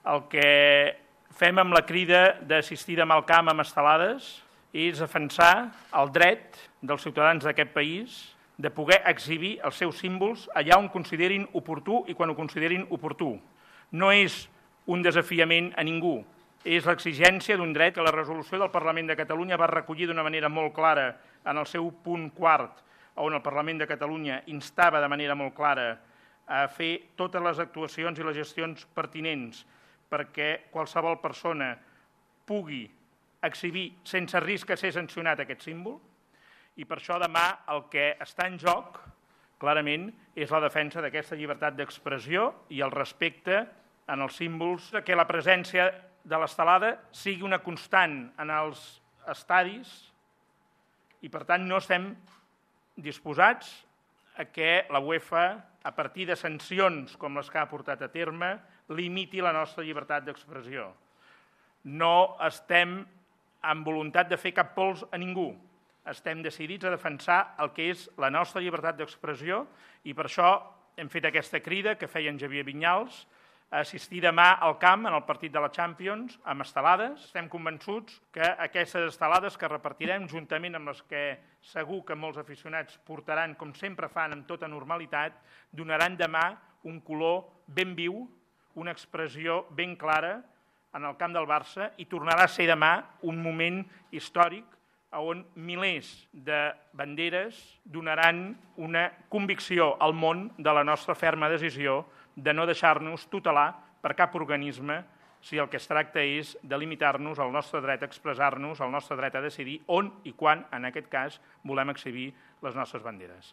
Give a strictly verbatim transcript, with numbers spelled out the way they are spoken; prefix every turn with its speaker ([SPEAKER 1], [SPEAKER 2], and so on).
[SPEAKER 1] El que fem amb la crida d'assistir demà al camp amb estelades és defensar el dret dels ciutadans d'aquest país de poder exhibir els seus símbols allà on considerin oportú i quan ho considerin oportú. No és un desafiament a ningú, és l'exigència d'un dret que la resolució del Parlament de Catalunya va recollir d'una manera molt clara en el seu punt quart, on el Parlament de Catalunya instava de manera molt clara a fer totes les actuacions i les gestions pertinents perquè qualsevol persona pugui exhibir sense risc de ser sancionat aquest símbol, i per això demà el que està en joc, clarament, és la defensa d'aquesta llibertat d'expressió i el respecte en els símbols, que la presència de l'estelada sigui una constant en els estadis i, per tant, no estem disposats a que la UEFA, a partir de sancions com les que ha portat a terme, limiti la nostra llibertat d'expressió. No estem amb voluntat de fer cap pols a ningú. Estem decidits a defensar el que és la nostra llibertat d'expressió i per això hem fet aquesta crida que feia en Xavier Vinyals a assistir demà al camp en el partit de la Champions amb estelades. Estem convençuts que aquestes estelades que repartirem, juntament amb les que segur que molts aficionats portaran, com sempre fan amb tota normalitat, donaran demà un color ben viu, una expressió ben clara en el camp del Barça i tornarà a ser demà un moment històric on milers de banderes donaran una convicció al món de la nostra ferma decisió de no deixar-nos tutelar per cap organisme si el que es tracta és de limitar-nos el nostre dret a expressar-nos, el nostre dret a decidir on i quan, en aquest cas, volem exhibir les nostres banderes.